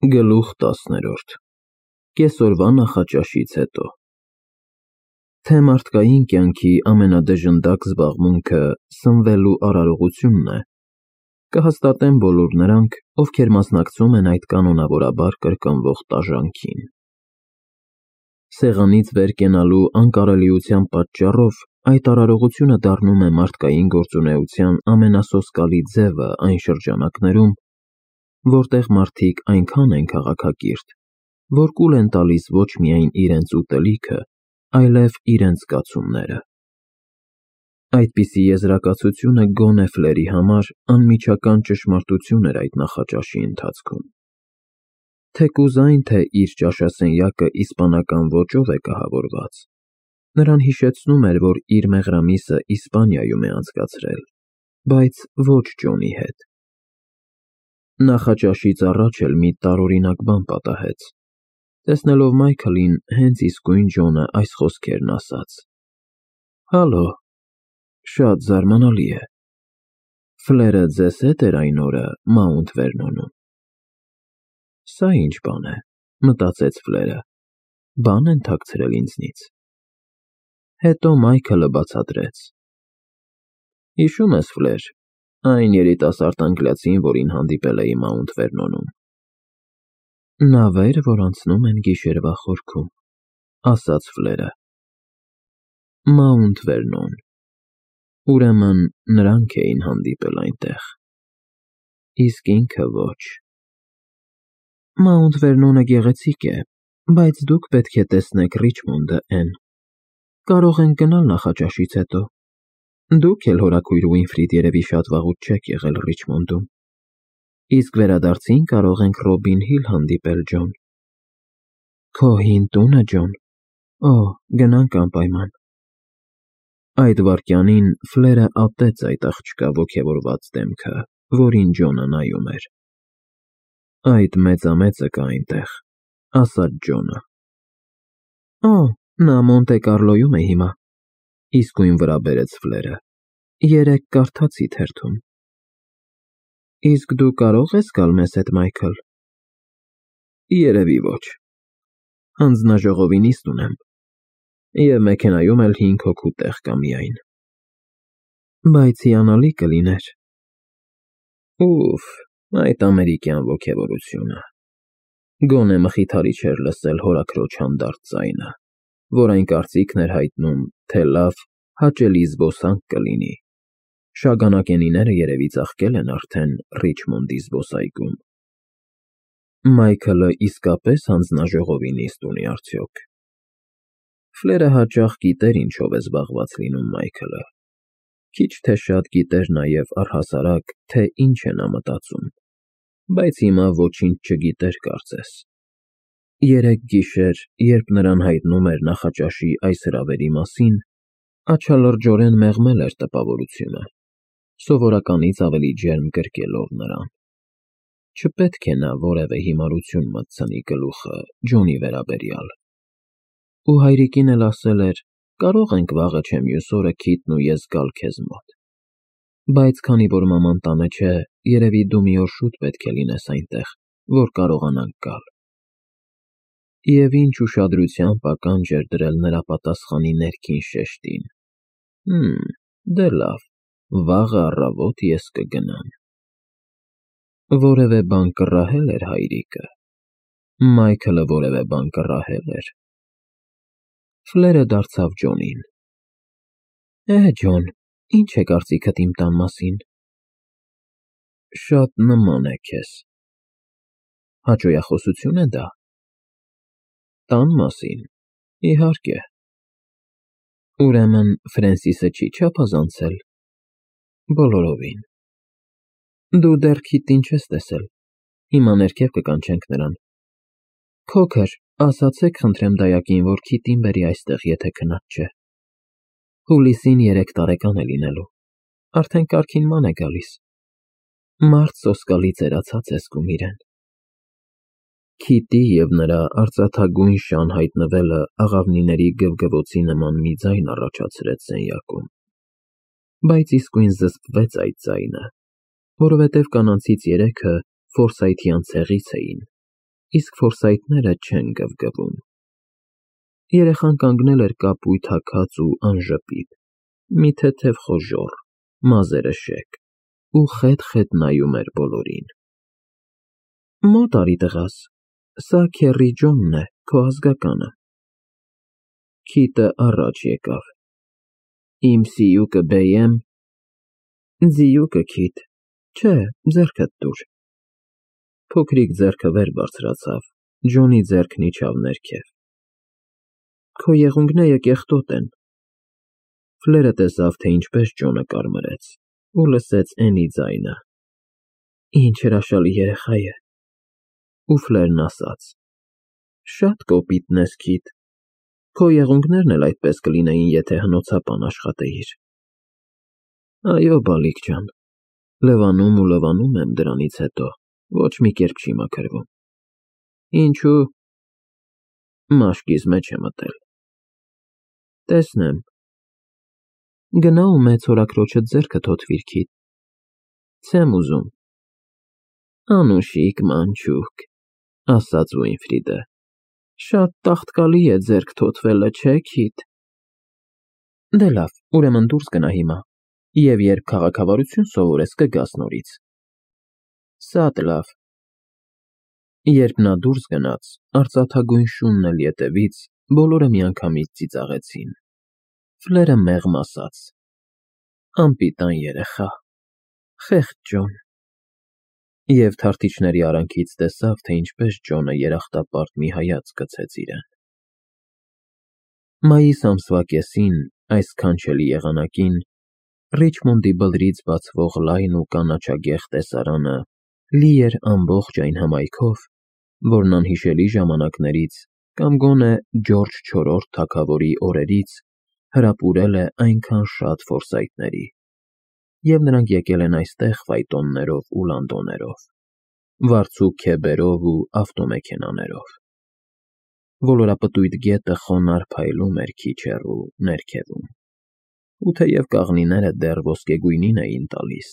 Գլուխ 10 Կեսօրվա նախաճաշից հետո Թե մարդկային կյանքի ամենադժնդակ զբաղմունքը սնվելու արարողությունն է, կհաստատեն բոլոր նրանք, ովքեր մասնակցում են այդ կանոնավորաբար կրկնվող տաժանքին։ Սեղանից վեր կենալու անկարելիության պատճառով այդ արարողությունը դառնում է մարդկային գործունեության ամենասոսկալի ձևը այն շրջանակներում, որտեղ մարդիկ այնքան են քաղաքակիրթ, որ կուլ են տալիս ոչ միայն իրենց ուտելիքը, այլև իրենց զգացումները։ Այդպիսի եզրակացությունը գոնե Ֆլերի համար անմիջական ճշմարտություն էր այդ նախաճաշի ընթացքում։ Թեկուզ այն, թե իր ճաշասենյակը իսպանական ոճով է կահավորված, նրան հիշեցնում էր, որ իր մեղրամիսը Իսպանիայում է անցկացրել, բայց ոչ Ջոնի հետ։ Նախաճաշից առաջ էլ մի տարօրինակ բան պատահեց։ Տեսնելով Մայքլին, հենց իսկույն Ջոնը այս խոսքերն ասաց. «Հալո, շատ զարմանալի է։ Ֆլերը ձեզ հետ էր այն օրը Մաունթ Վերնոնում»։ Սա ինչ բան է, մտածեց Ֆլերը, բան են թաքցրել ինձնից։ Հետո Մայքլը բացատրեց. «Հիշում ես, Ֆլեր, այն երիտասարդ անգլիացին, որին հանդիպել էի Մաունթ Վերնոնում»։ Նավեր, որ անցնում են գիշերվա խորքում, ասաց Ֆլերը։ Մաունթ Վերնոն։ Ուրեմն նրանք էին հանդիպել այնտեղ։ Իսկ ինքը ոչ։ Մաունթ Վերնոնը գեղեցիկ է, բայց դուք պետք է տեսնեք Ռիչմոնդը, Էն։ Կարող ենք գնալ նախաճաշից հետո։ Դուք էլ հորաքույր Ուինֆրիդ երևի շատ վաղուց չեք եղել Ռիչմոնդում։ Իսկ վերադարձին կարող ենք Ռոբին Հիլ հանդիպել, Ջոն։ Քո հին տունը, Ջոն։ Օ, գնանք անպայման։ Այդ վայրկյանին Ֆլերը ատեց այդ աղջկա ոգևորված դեմքը, որին Ջոնը նայում էր։ Այդ մեծամեծը կա այնտեղ, ասաց Ջոնը։ Օ, նա Մոնտե Կարլոյում է հիմա, իսկույն վրա բերեց Ֆլերը։ Երեկ կարդացի թերթում։ Իսկ դու կարող ես գալ մեզ հետ, Մայքլ։ Երևի ոչ։ Հանձնաժողովի նիստ ունեմ, և մեքենայում էլ 5 հոգու տեղ կա միայն։ Բայց հիանալի կլիներ։ Ուֆ, այդ ամերիկյան ոգևորությունը։ Գոնե մխիթարի չէր լսել հորաքրոջ հանդարտ ձայնը, որ այն կարծիքն էր հայտնում, թե լավ, հաճելի զբոսանք կլինի։ Շագանակենիները երևի ծաղկել են արդեն Ռիչմոնդի զբոսայգում։ Մայքլը իսկապես հանձնաժողովի նիստ ունի արդյոք։ Ֆլերը հաճախ գիտեր ինչով է զբաղված լինում Մայքլը։ Քիչ թե շատ գիտեր նաև առհասարակ, թե ինչ է նա մտածում, բայց հիմա ոչինչ չգիտեր կարծես։ Երեկ գիշեր, երբ նրան հայտնում էր նախաճաշի այս հրավերի մասին, աչալրջորեն մեղմել էր տպավորությունը, սովորականից ավելի ջերմ գրկելով նրան։ Չպետք է նա որևէ հիմարություն մտցնի գլուխը Ջոնի վերաբերյալ։ Ու հայրիկին էլ ասել էր. կարող ենք վաղը չէ մյուս օրը Քիթն ու ես գալ քեզ մոտ։ Բայց քանի որ մաման տանը չէ, երևի դու մի օր շուտ պետք է լինես այնտեղ, որ կարողանանք գալ։ Եվ ինչ ուշադրությամբ ականջ էր դրել նրա պատասխանի ներքին շեշտին։ Դե լավ, վաղը առավոտ ես կգնամ։ Որևէ բան կռահել էր հայրիկը։ Մայքլը որևէ բան կռահել էր։ Ֆլերը դարձավ Ջոնին։ Ջոն, ինչ է կարծիքդ իմ տան մասին։ Շատ նման է քեզ։ Հաճոյախոսություն է դա։ Տան մասին, իհարկե։ Ուրեմն Ֆրենսիսը չի չափազանցել։ Բոլորովին։ Դու դեռ Քիթին չես տեսել։ Հիմա ներքև կկանչենք նրան։ Քոքր, ասացեք խնդրեմ դայակին, որ Քիթին բերի այստեղ, եթե քնած չէ։ Հուլիսին 3 տարեկան է լինելու։ Արդեն կարքին ման է գալիս։ Մարդ սոսկալի ծերացած է զգում իրեն։ Քիթի և նրա արծաթագույն շան հայտնվելը աղավնիների գվգվոցի նման մի ձայն առաջացրեց սենյակում։ Բայց իսկույն զսպվեց այդ ձայնը, որովհետև կանանցից 3-ը Ֆորսայթյան ցեղից էին, իսկ ֆորսայթները չեն գվգվում։ Երեխան կանգնել էր կապույտ հագած ու անժպիտ, մի թեթև խոժոռ, մազերը շեկ, ու խետ նայում էր բոլորին։ Մոտ արի տղաս, սա քեռի Ջոնն է, քո ազգականը։ Քիթը առաջ եկավ։ Իմ սիուկը բեյեմ։ Ձիուկը Քիթ, չէ, ձեռքդ տուր։ Փոքրիկ ձեռքը վեր բարձրացավ, Ջոնի ձեռքն իջավ ներքև։ Քո եղունգները կեղտոտ են։ Ֆլերը տեսավ, թե ինչպես Ջոնը կարմրեց, ու լսեց Էնի ձայնը. Ինչ հրաշալի երեխա է։ Ու Ֆլերն ասաց. Շատ կոպիտ ես, Քիթ։ Քո եղունգներն էլ այդպես կլինեին, եթե հնոցապան աշխատեիր։ Այո, բալիկ ջան, լվանում եմ դրանից հետո, ոչ մի կերպ չի մաքրվում։ Ինչու՞։ Մաշկիս մեջ է մտել։ Տեսնեմ։ Գնա ու մեծ հորաքրոջդ ձեռքը թոթվիր, Քիթ։ Չեմ ուզում։ Անուշիկ մանչուկ, ասաց Ուինֆրիդը։ Շատ տաղտկալի է ձեռք թոթվելը, չէ, Քիթ։ Դե լավ, ուրեմն դուրս գնա հիմա, և երբ քաղաքավարություն սովորես, կգաս նորից։ Շատ լավ։ Երբ նա դուրս գնաց, արծաթագույն շունն էլ ետևից, բոլորը միանգամից ծիծաղեցին։ Ֆլերը մեղմ ասաց. Անպիտան երեխա, խեղճ Ջոն։ Եվ թարթիչների արանքից տեսավ, թե ինչպես Ջոնը երախտապարտ մի հայացք գցեց իրեն։ Մայիս ամսվա կեսին, այս քանչելի եղանակին, Ռիչմոնդի բլրից բացվող լայն ու կանաչագեղ տեսարանը լի էր ամբողջ այն հմայքով, որն անհիշելի ժամանակներից կամ գոնե Ջորջ IV թագավորի օրերից հրապուրել է այնքան շատ ֆորսայթների, և նրանք եկել են այստեղ ֆայտոններով ու լանդոներով, վարձու քեբերով ու ավտոմեքենաներով։ Ոլորապտույտ գետը խոնարհ փայլում էր քիչ հեռու ներքևում, ու թեև կաղնիները դեռ ոսկեգույնին էին տալիս,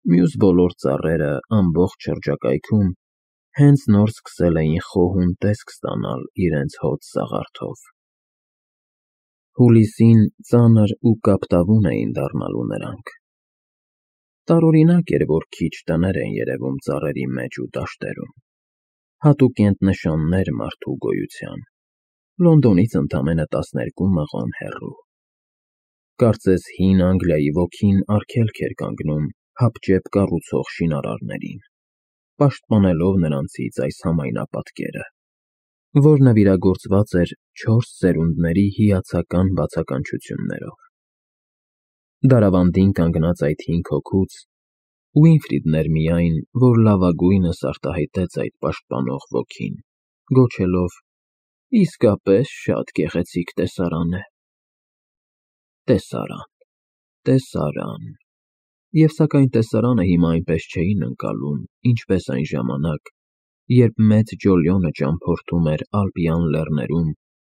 մյուս բոլոր ծառերը ամբողջ շրջակայքում հենց նոր սկսել էին խոհուն տեսք ստանալ իրենց հոտ սաղարթով։ Հուլիսին ծանր ու կապտավուն էին դառնալու նրանք։ Տարօրինակ էր, որ քիչ տներ են երևում ծառերի մեջ ու դաշտերում, հատուկենտ նշաններ մարդու գոյության, Լոնդոնից ընդամենը 12 մղոն հեռու։ Կարծես հին Անգլիայի ոգին արգելք էր կանգնում հապճեպ կառուցող շինարարներին, պաշտպանելով նրանցից այս համայնապատկերը, որ նվիրագործված էր 4 սերունդների հիացական բացականչություններով։ Դարավանդին կանգնած այդ 5 հոգուց Ուինֆրիդն էր միայն, որ լավագույնս արտահայտեց այդ պաշտպանող ոգին, գոչելով. Իսկապես շատ գեղեցիկ տեսարան է։ Տեսարան, տեսարան։ Եվ սակայն տեսարանը հիմա այնպես չէին ընկալում, ինչպես այն ժամանակ, երբ մեծ Ջոլիոնը ճամփորդում էր Ալպյան լեռներում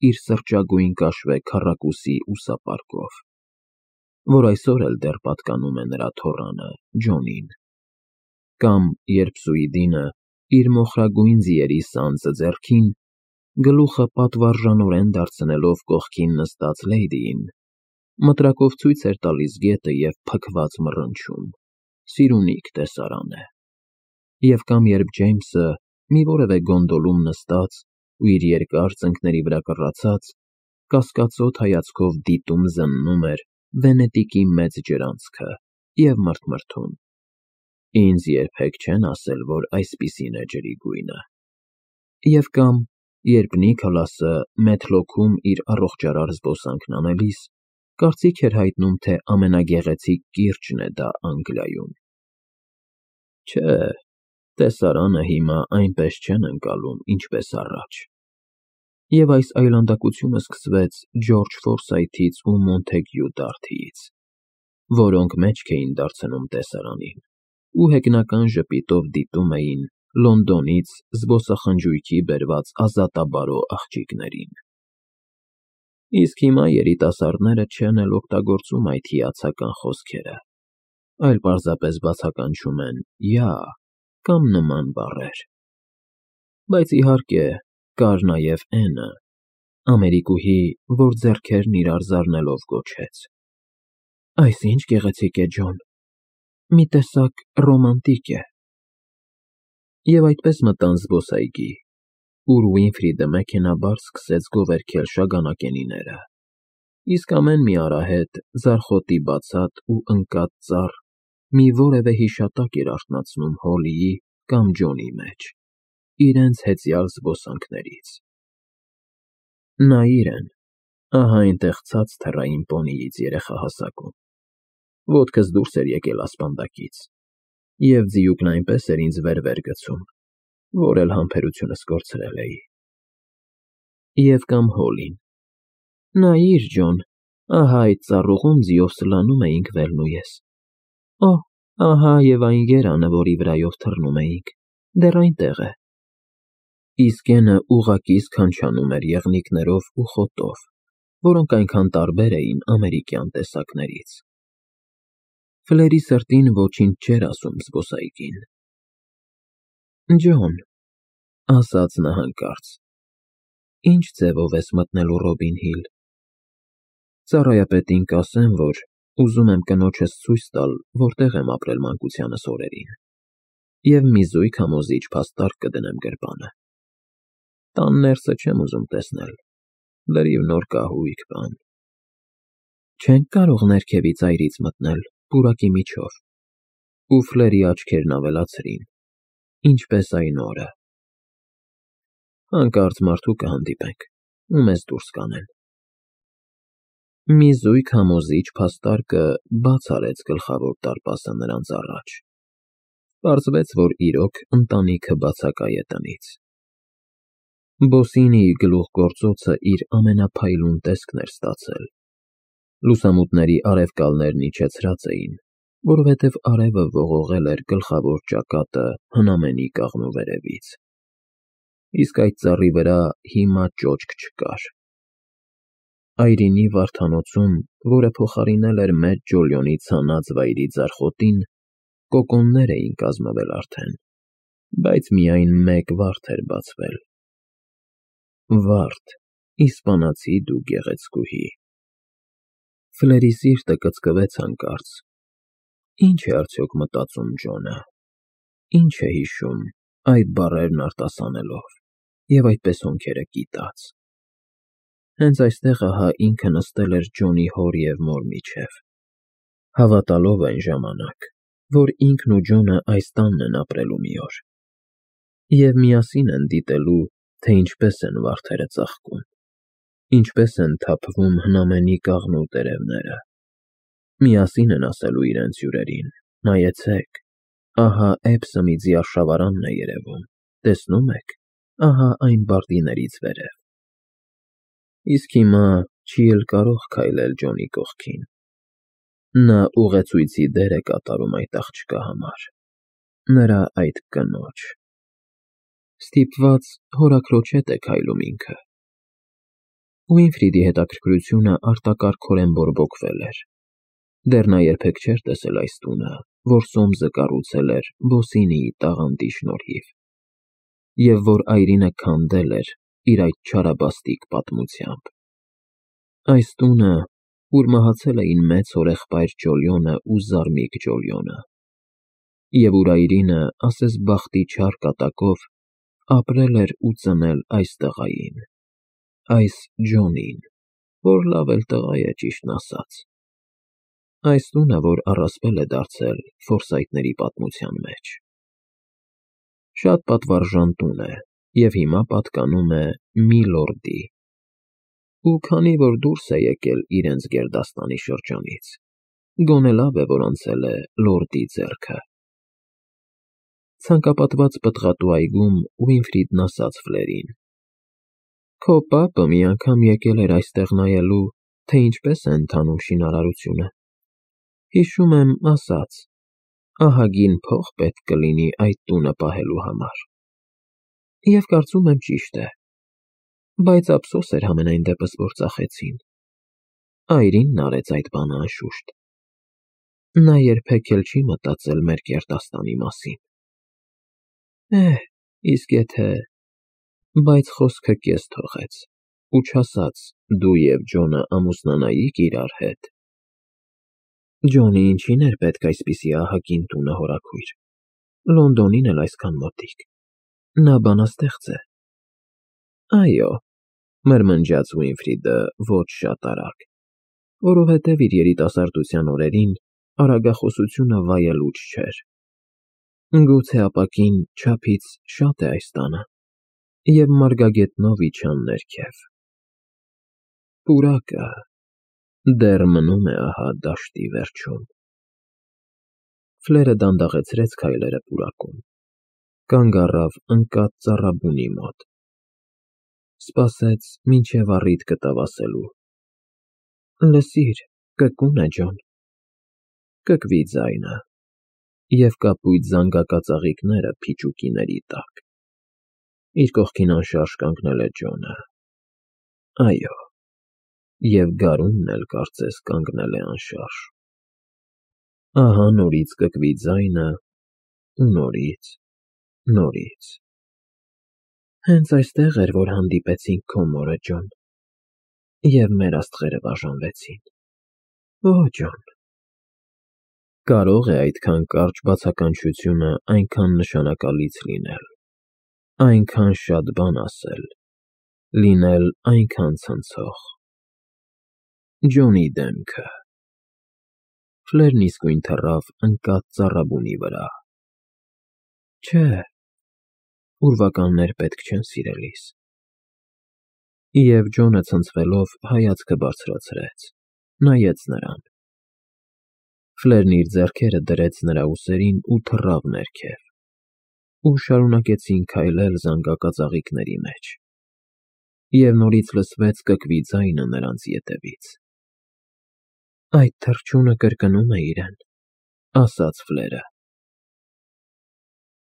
իր սրճագույն կաշվե քառակուսի ուսապարկով, որ այսօր էլ դեռ պատկանում է նրա թոռանը Ջոնին, կամ երբ Սուիդինը, իր մոխրագույն ձիերի սանձը ձեռքին, գլուխը պատվարժանորեն դարձնելով կողքին նստած Լեյդիին, մտրակով ցույց էր տալիս գետը և փքված մռնչում. սիրունիք տեսարան է։ Եվ կամ երբ Ջեյմսը, մի որևէ գոնդոլում նստած ու իր երկար ծնկների վրա կռացած, կասկածոտ հայացքով դիտում զննում էր Վենետիկի մեծ ջրանցքը և մռթմռթում. Ինձ երբեք չեն ասել, որ այսպիսին է ջրի գույնը։ Եվ կամ, երբ Նիքոլասը Մեթլոքում իր առողջարար զբոսանքն անելիս, կարծիք էր հայտնում, թե ամենագեղեցիկ կիրճն է դա Անգլիայում։ Չէ, տեսարանը հիմա այնպես չեն ընկալում, ինչպես առաջ։ Եվ այս այլանդակությունը սկսվեց Ջորջ Ֆորսայթից ու Մոնթեգյու Դարթիից, որոնք մեջք էին դարձնում տեսարանին ու հեգնական ժպիտով դիտում էին Լոնդոնից զբոսախնջույքի բերված ազատաբարո աղջիկներին։ Իսկ հիմա երիտասարդները չեն էլ օգտագործում այդ հիացական խոսքերը, այլ պարզապես բացականչում են «յա» կամ նման բառեր։ Բայց իհարկե, կար նաև Էնը, ամերիկուհի, որ ձեռքերն իրար զարնելով գոչեց. «Այս ինչ գեղեցիկ է, Ջոն, մի տեսակ ռոմանտիկ է»։ Եվ այդպես մտան զբոսայգի, ուր Ուինֆրիդը մեքենաբար սկսեց գովերգել շագանակենիները, իսկ ամեն մի արահետ, ձարխոտի բացատ ու ընկած ծառ մի որևէ հիշատակ էր արթնացնում Հոլիի կամ Ջոնի մեջ, իրենց հեծյալ զբոսանքներից։ Նայիր են, ահա այնտեղ ցած թռա իմ պոնիից երեխահասակում, ոտքս դուրս էր եկել ասպանդակից, և ձիուկն այնպես էր ինձ վեր գցում, որ էլ համբերությունս կորցրել էի։ Եվ կամ Հոլին. «Նայիր, Ջոն, ահա այդ ծառուղում ձիով սլանում էինք Վերն ու ես։ Օ, ահա և այն երանը, որի վրայով թռնում էինք, դեռ այնտեղ է»։ Իսկ Էնը ուղղակի սքանչանում էր եղնիկներով ու խոտով, որոնք այնքան տարբեր էին ամերիկյան տեսակներից։ Ֆլերի սրտին ոչինչ չէր ասում զբոսայգին։ «Ջոն», ասաց նա հանկարծ, «ինչ ձևով ես մտնելու Ռոբին Հիլ»։ Ծառայապետին կասեմ, որ ուզում եմ կնոջս ցույց տալ, որտեղ եմ ապրել մանկությանս օրերին, և մի զույգ համոզիչ փաստարկ կդնեմ գրպանը։ Տան ներսը չեմ ուզում տեսնել, լրիվ նոր կահույք բան։ Չենք կարող ներքևից այրից մտնել, պուրակի միջով։ Ու Ֆլերի աչքերն ավելացրին. ինչպես այն օրը։ Հանկարծ մարդու կհանդիպենք, ու մեզ դուրս կանեն։ Մի զույգ համոզիչ փաստարկը բաց արեց գլխավոր դարպասը նրանց առաջ։ Պարզվեց, որ իրոք ընտանիքը բացակայ է տնից։ Բոսինիի գլուխգործոցը իր ամենափայլուն տեսքն էր ստացել։ Լուսամուտների արևկալներն իջեցրած էին, որովհետև արևը ողողել էր գլխավոր ճակատը հնամենի կաղնու վերևից։ Իսկ այդ ծառի վրա հիմա ճոճք չկար։ Այրինի վարդանոցում, որը փոխարինել էր մեծ Ջոլիոնի ցանած վայրի ձարխոտին, կոկոններ էին կազմվել արդեն, բայց միայն մեկ վարդ էր բացվել։ Վարդ, իսպանացի դու գեղեցկուհի։ Ֆլերի սիրտը կծկվեց հանկարծ։ Ինչ է արդյոք մտածում Ջոնը։ Ինչ է հիշում, այդ բառերն արտասանելով, և այդպես հոնքերը կիտած։ Հենց այստեղ ահա ինքը նստել էր Ջոնի հոր և մոր միջև, հավատալով այն ժամանակ, որ ինքն ու Ջոնը այս տանն են ապրելու մի օր, և միասին են դիտելու, թե ինչպես են վարդերը ծաղկում, ինչպես են թափվում հնամենի կաղնու տերևները, միասին են ասելու իրենց հյուրերին. նայեցեք, ահա Էբսեմիձի արշավարանն է երևում, տեսնում եք, ահա այն բարտիներից վերև։ Իսկ հիմա չի էլ կարող քայլել Ջոնի կողքին։ Նա ուղեցույցի դեր է կատարում այդ աղջկա համար, նրա այդ կնոջ։ Ստիպված հորաքրոջ հետ է քայլում ինքը։ Ուինֆրիդի հետաքրքրությունը արտակարգորեն բորբոքվել էր։ Դեռ նա երբեք չէր տեսել այս տունը, որ Սոմսը կառուցել էր Բոսինիի տաղանդի շնորհիվ, և որ այրինը քանդել էր իր այդ չարաբաստիկ պատմությամբ։ Այս տունը, ուր մահացել էին մեծ հորեղբայր Ջոլիոնը ու Զարմիկ Ջոլիոնը, և ուր այրինը, ասես բախտի չար կատակով, ապրել էր ու ծնել այս տղային, այս Ջոնին, որ լավ էլ տղա է, ճիշտն ասած։ Այս տունը, որ առասպել է դարձել Ֆորսայթների պատմության մեջ։ Շատ պատվարժան տուն է, և հիմա պատկանում է մի լորդի։ Ու քանի որ դուրս է եկել իրենց գերդաստանի շրջանից, գոնե լավ է, որ անցել է լորդի ձեռքը։ Ցանկապատված պտղատու այգում Ուինֆրիդն ասաց Ֆլերին. «Քո պապը մի անգամ եկել էր այստեղ նայելու, թե ինչպես է ընթանում շինարարությունը։ Հիշում եմ, ասաց. ահագին փող պետք կլինի այդ տունը պահելու համար։ Եվ կարծում եմ ճիշտ է, բայց ափսոս էր համենայն դեպս, որ ծախեցին։ Այրինն արեց այդ բանը անշուշտ։ Նա երբեք էլ չի մտածել մեր գերդաստանի մասին։ Իսկ եթե Բայց խոսքը կես թողեց ու չասաց դու և Ջոնը ամուսնանայիք իրար հետ։ Ջոնի ինչին էր պետք այսպիսի ահագին տունը հորաքույր, Լոնդոնին էլ այսքան մոտիկ, նա բանաստեղծ է։ Այո, մրմնջաց Ուինֆրիդը ոչ շատ արագ, որովհետև իր երիտասարդության օրերին արագախոսությունը վայելուչ չէր։ Գուցե ապակին չափից շատ է այս տանը, և մարգագետնով իջան ներքև։ Պուրակը դեռ մնում է ահա դաշտի վերջում։ Ֆլերը դանդաղեցրեց քայլերը պուրակում, կանգ առավ ընկած ծառաբունի մոտ, սպասեց, մինչև առիթ գտավ ասելու. Լսիր, կկուն է, Ջոն։ Կկվի ձայնը, և կապույտ զանգակածաղիկները փիճուկիների տակ։ Իր կողքին անշարժ կանգնել է Ջոնը։ Այո, և գարունն էլ կարծես կանգնել է անշարժ։ Ահա նորից կկվի ձայնը ու նորից։ Հենց այստեղ էր, որ հանդիպեցինք քո մորը, Ջոն, և մեր աստղերը բաժանվեցին։ Օ, Ջոն։ Կարո՞ղ է այդքան կարճ բացականչությունը այնքան նշանակալից լինել, այնքան շատ բան ասել, լինել այնքան ցնցող։ Ջոնի դեմքը… Ֆլերն իսկույն թռավ ընկած ծառաբունի վրա։ Չէ, ուրվականներ պետք չեն, սիրելիս։ Եվ Ջոնը ցնցվելով հայացքը բարձրացրեց, նայեց նրան։ Ֆլերն իր ձեռքերը դրեց նրա ուսերին ու թռավ ներքև, ու շարունակեցին քայլել զանգակածաղիկների մեջ, և նորից լսվեց կկվի ձայնը նրանց ետևից։ Այդ թռչունը կրկնում է իրեն, ասաց Ֆլերը։